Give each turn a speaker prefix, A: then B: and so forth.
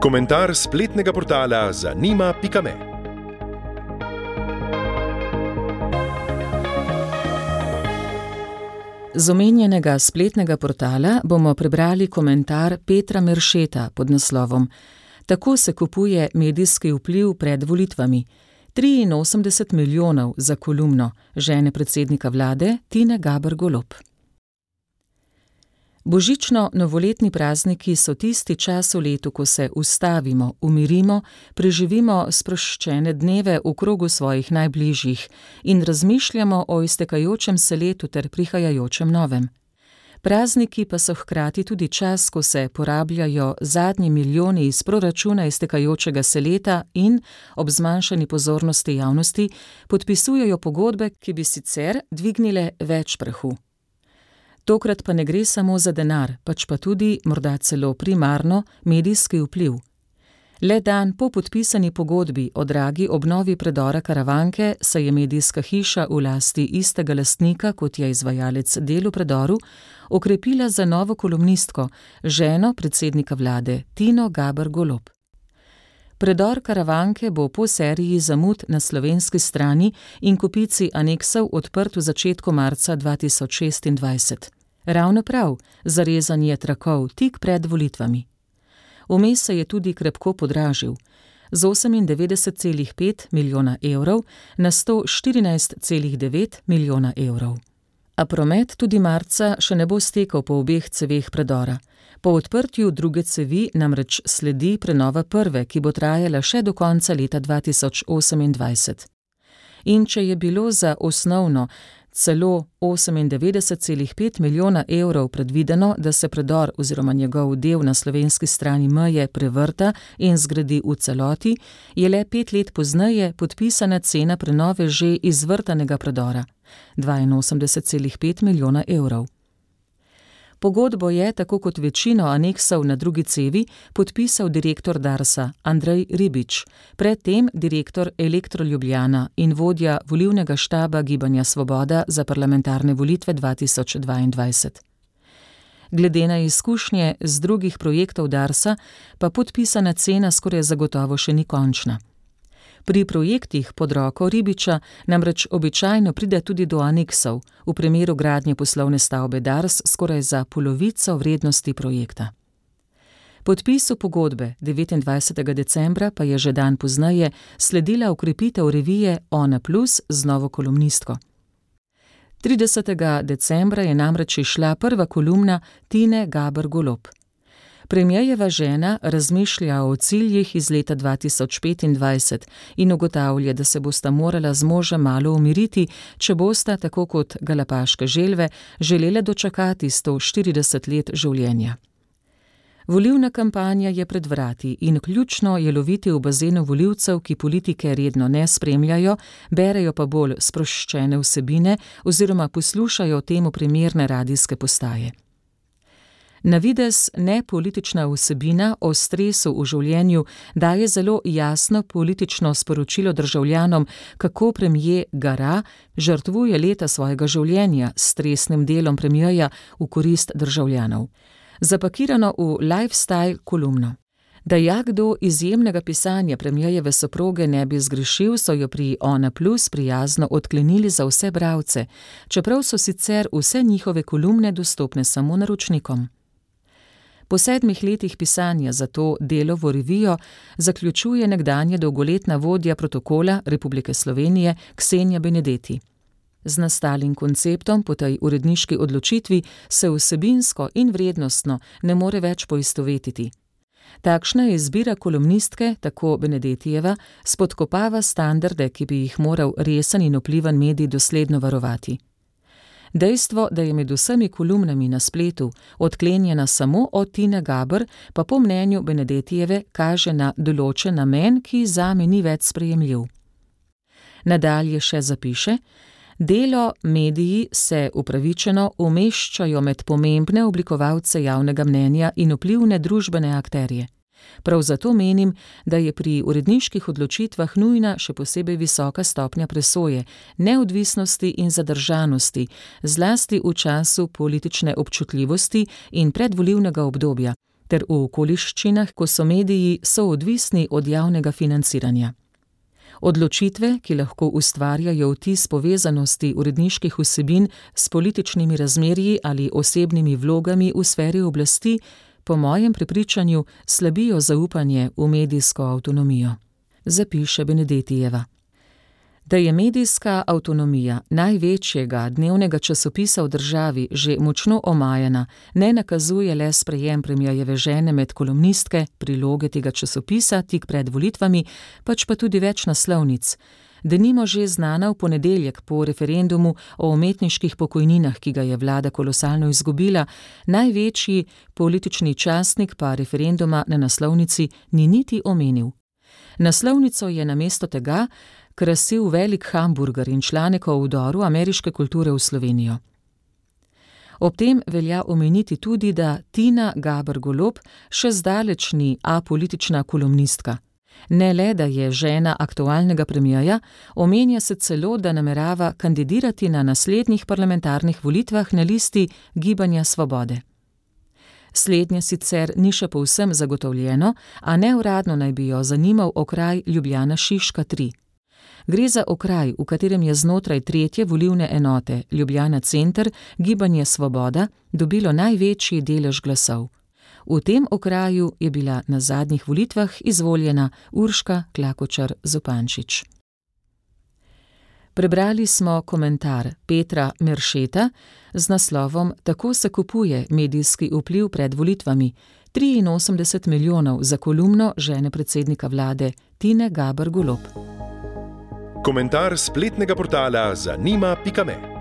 A: Komentar spletnega portala zanima.me.
B: Z omenjenega spletnega portala bomo prebrali komentar Petra Meršeta pod naslovom Tako se kupuje medijski vpliv pred volitvami. 83 milijonov za kolumno žene predsednika vlade Tine Gaber Golob. Božično-novoletni prazniki so tisti čas v letu, ko se ustavimo, umirimo, preživimo sproščene dneve v krogu svojih najbližjih in razmišljamo o iztekajočem se letu ter prihajajočem novem. Prazniki pa so hkrati tudi čas, ko se porabljajo zadnji milijoni iz proračuna iztekajočega se leta in, ob zmanjšani pozornosti javnosti, podpisujejo pogodbe, ki bi sicer dvignile več prahu. Tokrat pa ne gre samo za denar, pač pa tudi, morda celo primarno, medijski vpliv. Le dan po podpisani pogodbi o dragi obnovi predora Karavanke se je medijska hiša v lasti istega lastnika, kot je izvajalec del v predoru, okrepila za novo kolumnistko, ženo predsednika vlade Tino Gaber Golob. Predor Karavanke bo po seriji zamud na slovenski strani in kopici aneksov odprt v začetku marca 2026. Ravno prav, zarezanje trakov tik pred volitvami. Vmes se je tudi krepko podražil, z 98,5 milijona evrov na 114,9 milijona evrov. A promet tudi marca še ne bo stekel po obeh ceveh predora. Po odprtju druge cevi namreč sledi prenova prve, ki bo trajala še do konca leta 2028. In če je bilo za osnovno celo 98,5 milijona evrov predvideno, da se predor oziroma njegov del na slovenski strani meje prevrta in zgradi v celoti, je le 5 let pozneje podpisana cena prenove že izvrtanega predora, 82,5 milijona evrov. Pogodbo je, tako kot večino aneksov na drugi cevi, podpisal direktor Darsa Andrej Ribič, predtem direktor Elektro Ljubljana in vodja volilnega štaba Gibanja Svoboda za parlamentarne volitve 2022. Glede na izkušnje z drugih projektov Darsa pa podpisana cena skoraj zagotovo še ni končna. Pri projektih pod roko Ribiča namreč običajno pride tudi do aneksov, v primeru gradnje poslovne stavbe Dars skoraj za polovico vrednosti projekta. Podpisu pogodbe 29. decembra pa je že dan pozneje sledila okrepitev revije Ona Plus z novo kolumnistko. 30. decembra je namreč izšla prva kolumna Tine Gaber Golob. Premierjeva žena razmišlja o ciljih iz leta 2025 in ugotavlja, da se bosta morala z možem malo umiriti, če bosta, tako kot galapaške želve, želele dočakati 140 let življenja. Volilna kampanja je pred vrati in ključno je loviti v bazenu volivcev, ki politike redno ne spremljajo, berejo pa bolj sproščene vsebine oziroma poslušajo temu primerne radijske postaje. Na videz nepolitična vsebina o stresu v življenju daje zelo jasno politično sporočilo državljanom, kako premier gara, žrtvuje leta svojega življenja s stresnim delom premierja v korist državljanov. Zapakirano v lifestyle kolumno. Da jakdo izjemnega pisanja premierjeve soproge ne bi zgrešil, so jo pri Ona Plus prijazno odklenili za vse bralce, čeprav so sicer vse njihove kolumne dostopne samo naročnikom. Po 7 letih pisanja za to Delovo revijo zaključuje nekdanja dolgoletna vodja protokola Republike Slovenije Ksenija Benedetti. Z nastalim konceptom po tej uredniški odločitvi se vsebinsko in vrednostno ne more več poistovetiti. Takšna izbira kolumnistke, tako Benedettijeva, spodkopava standarde, ki bi jih moral resen in vplivan medij dosledno varovati. Dejstvo, da je med vsemi kolumnami na spletu odklenjena samo od Tine Gaber, pa po mnenju Benedettijeve kaže na določen namen, ki zame ni več sprejemljiv. Nadalje še zapiše: Delo mediji se upravičeno umeščajo med pomembne oblikovalce javnega mnenja in vplivne družbene akterje. Prav zato menim, da je pri uredniških odločitvah nujna še posebej visoka stopnja presoje, neodvisnosti in zadržanosti, zlasti v času politične občutljivosti in predvolilnega obdobja, ter v okoliščinah, ko so mediji soodvisni od javnega financiranja. Odločitve, ki lahko ustvarjajo vtis povezanosti uredniških vsebin s političnimi razmerji ali osebnimi vlogami v sferi oblasti, po mojem prepričanju slabijo zaupanje v medijsko avtonomijo, zapiše Benedetijeva. Da je medijska avtonomija največjega dnevnega časopisa v državi že močno omajana, ne nakazuje le sprejem premierjeve žene med kolumnistke, priloge tega časopisa tik pred volitvami, pač pa tudi več naslovnic. Denimo že znana v ponedeljek po referendumu o umetniških pokojninah, ki ga je vlada kolosalno izgubila, največji politični časnik pa referenduma na naslovnici ni niti omenil. Naslovnico je namesto tega krasil velik hamburger in članek o vdoru ameriške kulture v Slovenijo. Ob tem velja omeniti tudi, da Tina Gaber Golob še zdaleč ni apolitična kolumnistka. Ne le, da je žena aktualnega premierja, omenja se celo, da namerava kandidirati na naslednjih parlamentarnih volitvah na listi Gibanja Svobode. Slednje sicer ni še povsem zagotovljeno, a neuradno naj bi jo zanimal okraj Ljubljana Šiška 3. Gre za okraj, v katerem je znotraj 3. volilne enote Ljubljana Center Gibanje Svoboda dobilo največji delež glasov. V tem okraju je bila na zadnjih volitvah izvoljena Urška Klakočar Zupančič. Prebrali smo komentar Petra Meršeta z naslovom Tako se kupuje medijski vpliv pred volitvami, 83 milijonov za kolumno žene predsednika vlade Tine Gaber Golob.
A: Komentar spletnega portala zanima.me